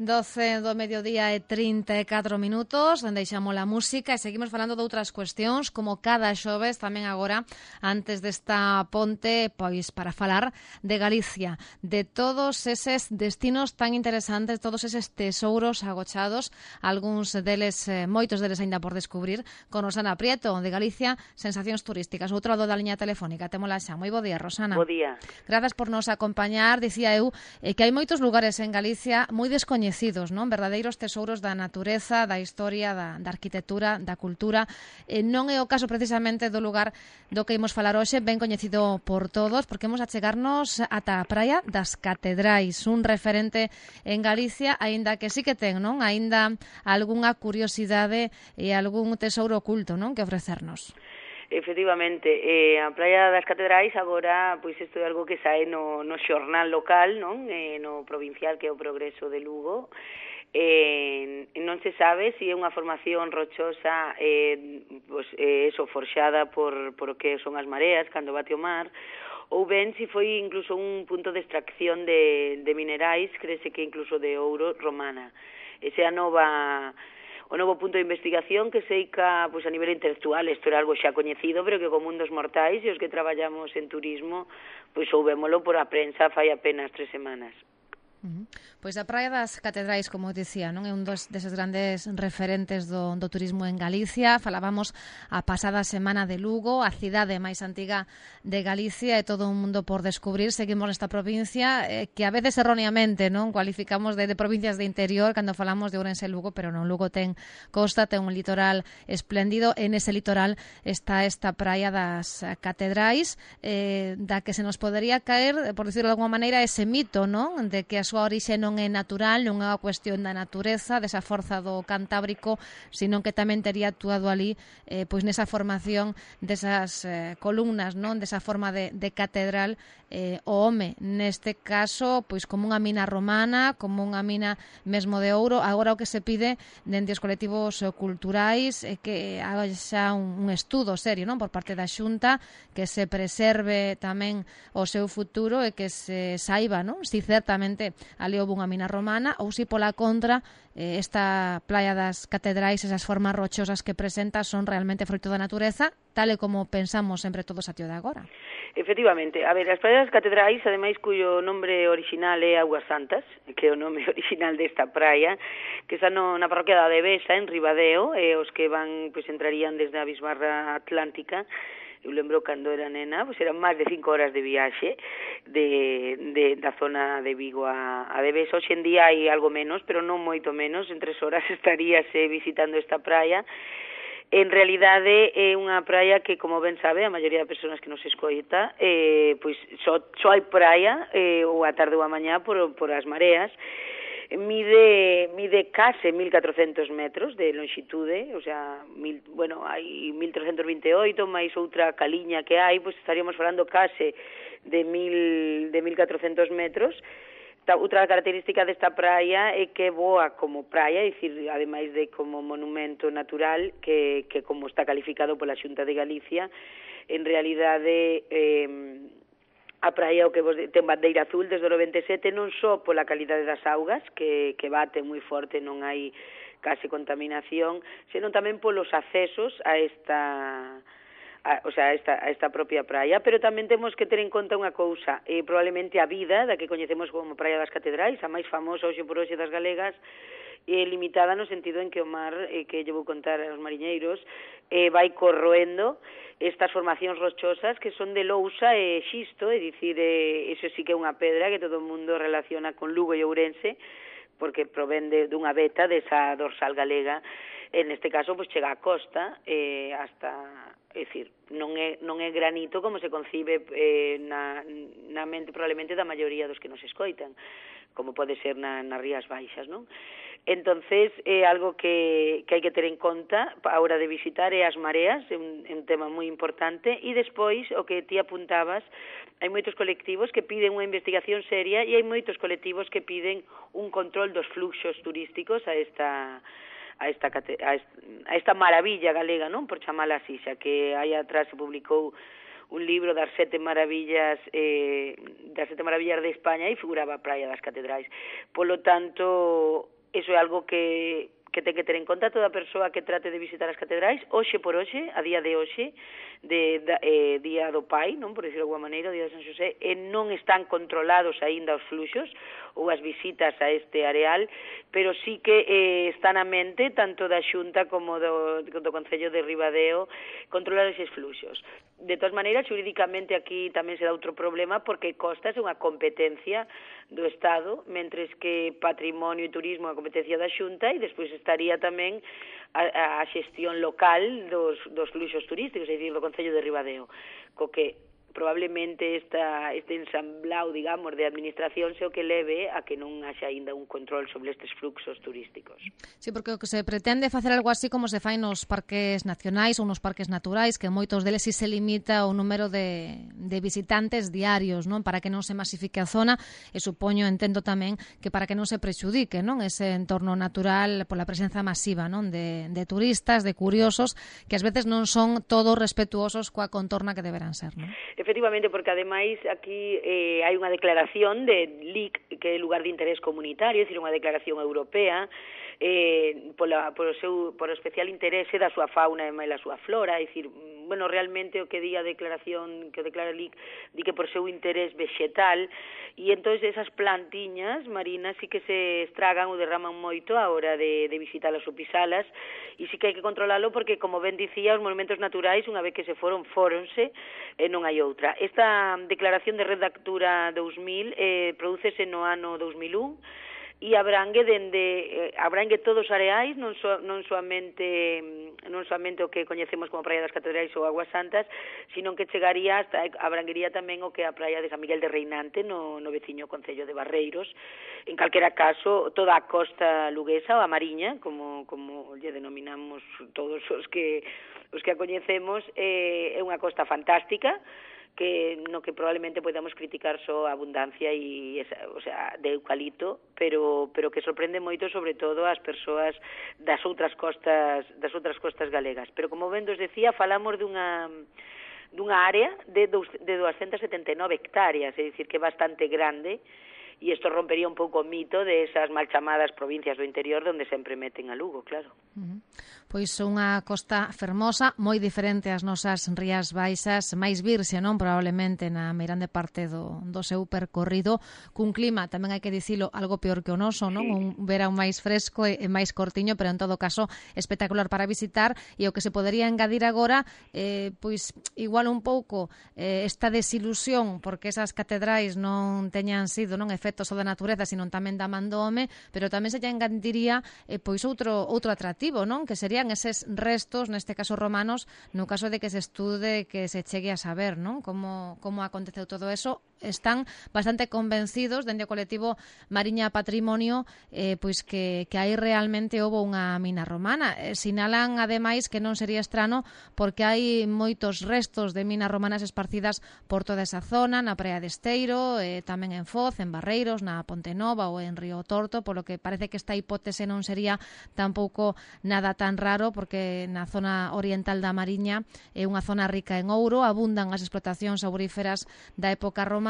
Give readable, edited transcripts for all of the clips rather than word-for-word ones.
12 do mediodía e 34 minutos, deixamos a música e seguimos falando de outras cuestións, como cada xoves, tamén agora, antes desta ponte, pois para falar de Galicia, de todos eses destinos tan interesantes, todos eses tesouros agochados, algúns deles, moitos deles aínda por descubrir, con Rosana Prieto, de Galicia, Sensacións Turísticas. Outro lado da liña telefónica, témola xa. Moi bo día, Rosana. Bo día. Grazas por nos acompañar. Dicía eu que hai moitos lugares en Galicia moi descoñecidos, non? Verdadeiros tesouros da natureza, da historia, da arquitectura, da cultura. Non é o caso precisamente do lugar do que imos falar hoxe, ben coñecido por todos, porque imos a chegarnos ata a praia das Catedrais, un referente en Galicia, aínda que sí que ten, non? Aínda algunha curiosidade e algún tesouro oculto, non? Que ofrecernos. Efectivamente, a Praia das Catedrais agora, pois isto é algo que sae no xornal local, non? No provincial, que é o Progreso de Lugo. Non se sabe se é unha formación rochosa eso, forxada por o que son as mareas cando bate o mar, ou ben se foi incluso un punto de extracción de minerais, crese que incluso de ouro romana. Esa é o novo punto de investigación que seica, pois a nivel intelectual, isto era algo xa coñecido, pero que co mundo dos mortais e os que traballamos en turismo, pois souvémolo por a prensa fai apenas 3 semanas. Pois a Praia das Catedrais, como dicía, non é un deses grandes referentes do turismo en Galicia. Falábamos a pasada semana de Lugo, a cidade máis antiga de Galicia, e todo un mundo por descubrir. Seguimos nesta provincia que a veces erróneamente non cualificamos de provincias de interior cando falamos de Ourense e Lugo, pero non. Lugo ten costa, ten un litoral espléndido. En ese litoral está esta Praia das Catedrais, da que se nos podería caer, por decirlo de alguma maneira, ese mito, non? De que a súa orixe non é natural, non é unha cuestión da natureza, desa forza do Cantábrico, sino que tamén tería actuado ali pois nesa formación desas columnas, non? Desa forma de catedral, o home, neste caso, pois como unha mina romana, como unha mina mesmo de ouro. Agora o que se pide dende os colectivos culturais é que haga xa un estudo serio, non? Por parte da Xunta, que se preserve tamén o seu futuro e que se saiba, non? Si certamente ali houve unha mina romana ou si pola contra esta Praia das Catedrais, esas formas rochosas que presenta son realmente froito da natureza, tal e como pensamos sempre todos a tío de agora. Efectivamente, a ver, as Praias das Catedrais, ademais cuyo nombre original é Augas Santas, que é o nome original desta praia, que está na parroquia da Devesa, en Ribadeo, e os que van, pois entrarían desde a Bisbarra Atlántica. Eu lembro cando era nena, pois eran máis de 5 horas de viaxe da zona de Vigo a Devesa. Hoxe en día hai algo menos, pero non moito menos, en 3 horas estaríase visitando esta praia. En realidade é unha praia que, como ben sabe, a maioría de persoas que nos escoita, pois só hai praia ou a tarde ou a mañá por as mareas. Mide case 1.400 metros de longitude, o sea, hai 1.328, máis outra caliña que hai, pois estaríamos falando case de 1.400 metros. Outra característica desta praia é que voa como praia, é dicir, ademais de como monumento natural, que como está calificado pola Xunta de Galicia, en realidade a praia o que ten bandeira azul desde o 97, non só pola calidade das augas, que bate moi forte, non hai case contaminación, senón tamén polos accesos a esta propia praia, pero tamén temos que ter en conta unha cousa, probablemente a vida da que coñecemos como Praia das Catedrais, a máis famosa hoxe por hoxe das galegas, limitada no sentido en que o mar, que lle vou contar aos mariñeiros, vai corroendo estas formacións rochosas que son de lousa e xisto, é dicir, eso sí que é unha pedra que todo o mundo relaciona con Lugo e Ourense, porque provén dunha veta desa dorsal galega. En este caso, pois chega á costa hasta... É dicir, non é granito como se concibe na mente probablemente da maioría dos que nos escoitan, como pode ser nas Rías Baixas, non? Entonces, é algo que hai que ter en conta a hora de visitar é as mareas, é un tema moi importante, e despois, o que ti apuntabas, hai moitos colectivos que piden unha investigación seria e hai moitos colectivos que piden un control dos fluxos turísticos a esta maravilla galega, non? Por chamala así, xa que aí atrás se publicou un libro das 7 maravillas de España e figuraba a Praia das Catedrais. Polo tanto, Eso é algo que ten que ter en conta toda persoa que trate de visitar as catedrais, hoxe por hoxe, a día de hoxe, día do Pai, non, por decirlo de alguma maneira, o día de San Xosé, non están controlados aínda os fluxos ou as visitas a este areal, pero sí que está na mente tanto da Xunta como do Concello de Ribadeo controlar eses fluxos. De todas maneiras, xurídicamente aquí tamén se dá outro problema porque costas é unha competencia do Estado, mentres que patrimonio e turismo é a competencia da Xunta e despois estaría tamén a xestión local dos fluxos turísticos, é dicir, do Concello de Ribadeo, co que probablemente este ensamblao, digamos, de administración se o que leve a que non haxa aínda un control sobre estes fluxos turísticos. Sí, porque o que se pretende facer algo así como se fai nos parques nacionais ou nos parques naturais, que moitos deles si se limita o número de visitantes diarios, non, para que non se masifique a zona, e supoño, entendo tamén, que para que non se prexudique, non, ese entorno natural pola presenza masiva, non, de turistas, de curiosos, que ás veces non son todos respetuosos coa contorna que deberán ser, non? Efectivamente, porque ademais aquí hai unha declaración de LIC, que é lugar de interés comunitario, é dicir, unha declaración europea, por o especial interese da súa fauna e da súa flora, é dicir, bueno, realmente o que di a declaración, que o declara LIC, di que por seu interés vegetal, e entón esas plantiñas marinas sí que se estragan ou derraman moito a hora de visitalas ou pisalas, e sí que hai que controlalo porque, como ben dicía, os monumentos naturais, unha vez que se fóronse, non hai outra. Esta declaración de Red Natura 2000 prodúcese no ano 2001 e abrangue todos os areais, non soamente o que coñecemos como Praia das Catedrais ou Aguas Santas, sino que abranguería tamén o que é a Praia de San Miguel de Reinante no veciño concello de Barreiros. En calquera caso, toda a costa luguesa ou a mariña, como lle denominamos todos os que a coñecemos, é unha costa fantástica, no que probablemente podamos criticar só a abundancia de eucalipto, pero que sorprende moito sobre todo as persoas das outras costas galegas. Pero como ben vos decía, falamos dunha área de 279 hectáreas, é dicir, que é bastante grande, e isto rompería un pouco o mito de esas mal chamadas provincias do interior onde sempre meten a Lugo, claro. Pois unha costa fermosa, moi diferente ás nosas Rías Baixas, máis virxe, non, probablemente na meirande parte do seu percorrido, cun clima, tamén hai que dicilo, algo peor que o noso, non? Un verán máis fresco e máis cortiño, pero en todo caso espectacular para visitar, e o que se podería engadir agora, pois igual un pouco esta desilusión, porque esas catedrais non teñan sido non efectos só da natureza, sino tamén da man do home, pero tamén se lle engadiría pois outro atractivo, non? Que serían eses restos, neste caso romanos, no caso de que se estude, que se chegue a saber, non? Como aconteceu todo eso. Están bastante convencidos dende o colectivo Mariña Patrimonio pois que aí realmente houve unha mina romana. Sinalan ademais que non sería estrano porque hai moitos restos de minas romanas esparcidas por toda esa zona, na Praia de Esteiro, tamén en Foz, en Barreiros, na Ponte Nova ou en Río Torto, polo que parece que esta hipótese non sería tampouco nada tan raro, porque na zona oriental da Mariña é unha zona rica en ouro, abundan as explotacións auríferas da época romana.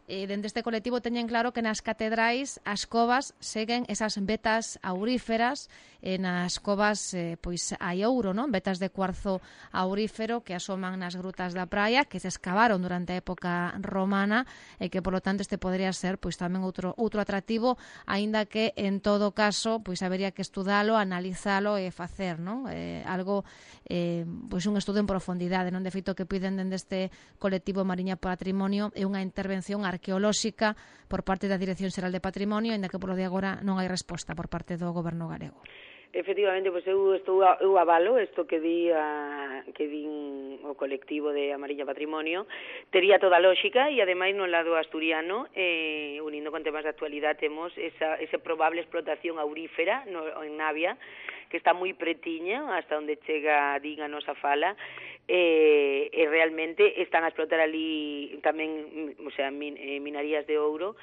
Dende este colectivo teñen claro que nas catedrais as covas seguen esas vetas auríferas, nas covas pois hai ouro, non? Vetas de cuarzo aurífero que asoman nas grutas da praia, que se escavaron durante a época romana e que, polo tanto, este podría ser pois tamén outro atractivo, aínda que en todo caso pois habería que estudalo, analizalo e facer, non? Algo pois un estudo en profundidade, non? De feito, que piden dende este colectivo Mariña Patrimonio é unha intervención arqueolóxica por parte da Dirección Xeral de Patrimonio, aínda que polo de agora non hai resposta por parte do Goberno galego. Efectivamente, pois eu avalo isto que din o colectivo de Mariña Patrimonio, tería toda a lógica, e ademais no lado asturiano, unindo con temas de actualidade, temos esa probable explotación aurífera en Navia, que está moi pretiña hasta onde chega, din a nosa fala, e realmente están a explotar ali tamén, o sea, minarías de ouro,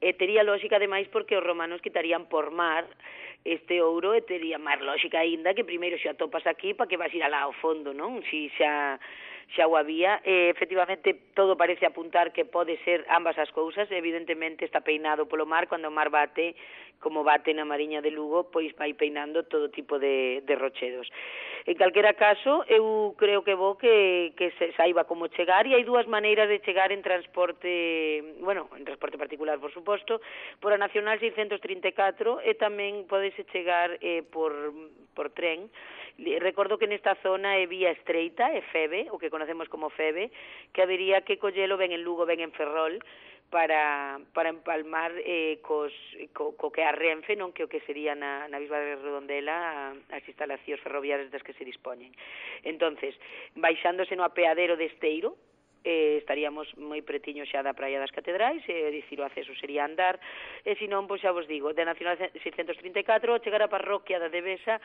e tería lógica ademais porque os romanos quitarían por mar este ouro, e tería máis lógica aínda que primeiro xa topas aquí para que vas ir alá ao fondo, non? Si xa o había, efectivamente todo parece apuntar que pode ser ambas as cousas. Evidentemente está peinado polo mar, cando o mar bate como bate na Mariña de Lugo, pois vai peinando todo tipo de rochedos. En calquera caso, eu creo que vou que se saiba como chegar, e hai dúas maneiras de chegar en transporte, bueno, en transporte particular, por suposto, por a Nacional 634, e tamén podese chegar por tren. Recordo que nesta zona é vía estreita, é FEBE, o que conocemos como FEBE, que habería que collelo ben en Lugo, ben en Ferrol, para empalmar co que a Renfe, non, que o que sería na Bisba de Redondela as instalacións ferroviarias das que se dispoñen. Entonces, baixándose no apeadero de Esteiro, estaríamos moi pretiño xa da Praia das Catedrais, dicir, o acceso sería andar, e senón, pois xa vos digo, de Nacional 634, chegar á parroquia da Devesa,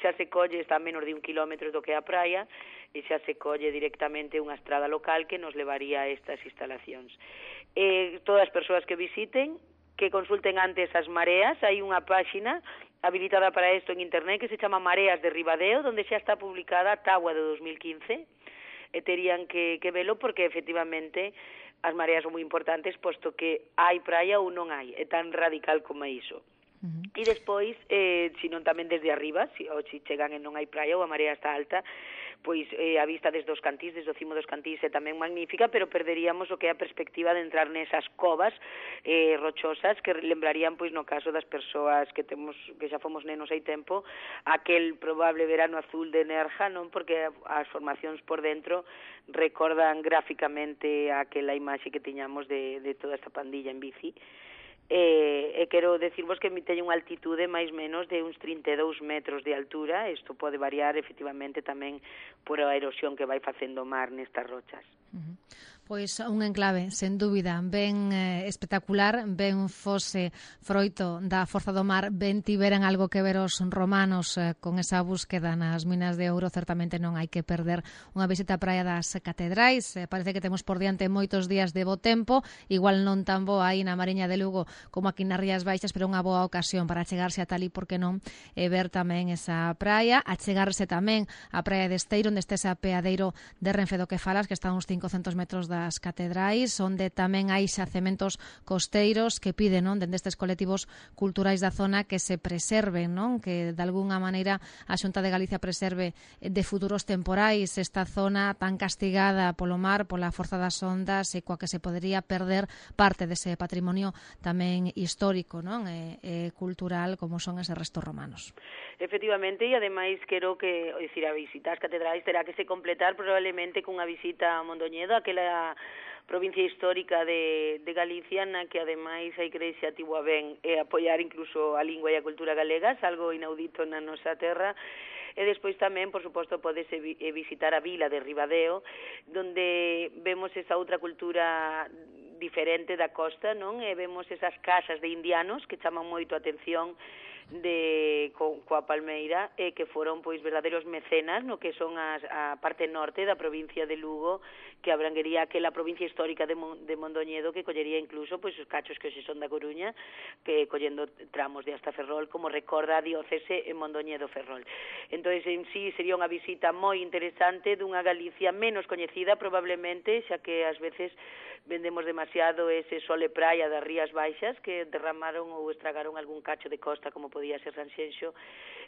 xa se colle, está a menos de 1 kilómetro do que a praia, e xa se colle directamente unha estrada local que nos levaría a estas instalacións. Todas as persoas que visiten, que consulten antes as mareas, hai unha páxina habilitada para isto en internet que se chama Mareas de Ribadeo, onde xa está publicada a tábua de 2015, e terían que velo porque efectivamente as mareas son moi importantes, posto que hai praia ou non hai, é tan radical como iso. E despois, se non tamén desde arriba, ou se chegan e non hai praia ou a marea está alta, pois a vista desde os Cantís, desde o cimo dos Cantís é tamén magnífica, pero perderíamos o que é a perspectiva de entrar nesas covas rochosas que lembrarían, pois no caso das persoas que xa fomos nenos hai tempo, aquel probable verano azul de Nerja, non, porque as formacións por dentro recordan gráficamente aquela imaxe que tiñamos de toda esta pandilla en bici. E quero decirvos que teño unha altitude máis menos de uns 32 metros de altura. Isto pode variar efectivamente tamén por a erosión que vai facendo o mar nestas rochas. Pois un enclave, sen dúbida, ben espectacular, ben fose froito da forza do mar, ben tiveran algo que ver os romanos con esa búsqueda nas minas de ouro. Certamente non hai que perder unha visita á Praia das Catedrais. Parece que temos por diante moitos días de bo tempo, igual non tan boa aí na Mariña de Lugo como aquí nas Rías Baixas, pero unha boa ocasión para chegarse a Talí, porque non, e ver tamén esa praia, a chegarse tamén á Praia de Esteiro, onde este ese apeadeiro de Renfe do que falas, que está a uns 500 metros das Catedrais, onde tamén hai xacementos costeiros que piden, non, dende estes colectivos culturais da zona, que se preserven, non, que de algunha maneira a Xunta de Galicia preserve de futuros temporais esta zona tan castigada polo mar, pola forza das ondas, e coa que se podería perder parte dese patrimonio tamén histórico, non, e cultural, como son eses restos romanos. Efectivamente, e ademais quero que, dicir, a visita ás catedrais terá que se completar probablemente cunha visita a Mondoñedo, aquela provincia histórica de Galicia, na que ademais a Igrexa tivo a ben apoiar incluso a lingua e a cultura galegas, algo inaudito na nosa terra. E despois tamén, por suposto, podese visitar a vila de Ribadeo, donde vemos esa outra cultura diferente da costa, non? E vemos esas casas de indianos que chaman moito a atención coa Palmeira, que foron pois verdadeiros mecenas no que son a parte norte da provincia de Lugo, que abranguería aquela provincia histórica de Mondoñedo, que collería incluso pois os cachos que hoxe son da Coruña, que collendo tramos de hasta Ferrol, como recorda a diócese en Mondoñedo-Ferrol. Entón, en sí, sería unha visita moi interesante dunha Galicia menos coñecida probablemente, xa que ás veces vendemos demasiado ese sol e praia das Rías Baixas, que derramaron ou estragaron algún cacho de costa, como podía ser Sanxenxo,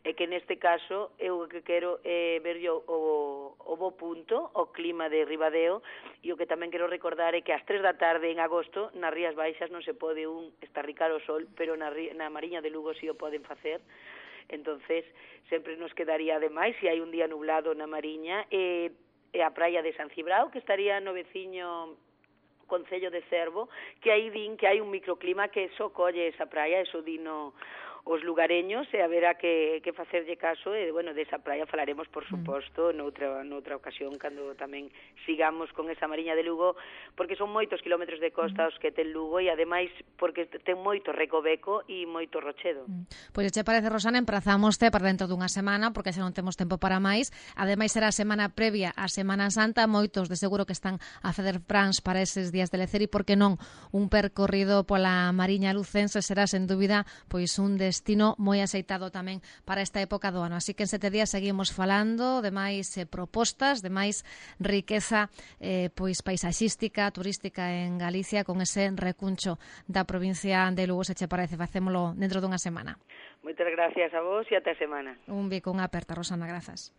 e que neste caso eu que quero ver yo o bo punto, o clima de Ribadeo, e o que tamén quero recordar é que ás 3 da tarde en agosto nas Rías Baixas non se pode estarricar o sol, pero na Mariña de Lugo si o poden facer. Entonces sempre nos quedaría ademais, se hai un día nublado na Mariña, e a praia de San Cibrao, que estaría no veciño Concello de Cervo, que aí din que hai un microclima que só colle esa praia, eso dino os lugareños, e haberá que facerlle caso, e, bueno, desa praia falaremos, por suposto, noutra ocasión, cando tamén sigamos con esa Mariña de Lugo, porque son moitos kilómetros de costa os que ten Lugo, e ademais porque ten moito recoveco e moito rochedo. Pois che parece, Rosana, emprazámoste para dentro dunha semana, porque xa non temos tempo para máis. Ademais será a semana previa á Semana Santa, moitos de seguro que están a facer plans para eses días de lecer, e por que non un percorrido pola Mariña lucense será sen dúbida pois un destino moi aceitado tamén para esta época do ano. Así que en 7 días seguimos falando de máis propostas, de máis riqueza pois paisaxística, turística en Galicia, con ese recuncho da provincia de Lugo, se che parece. Facémolo dentro dunha semana. Moitas gracias a vos e ata a semana. Un bico, unha aperta, Rosana, grazas.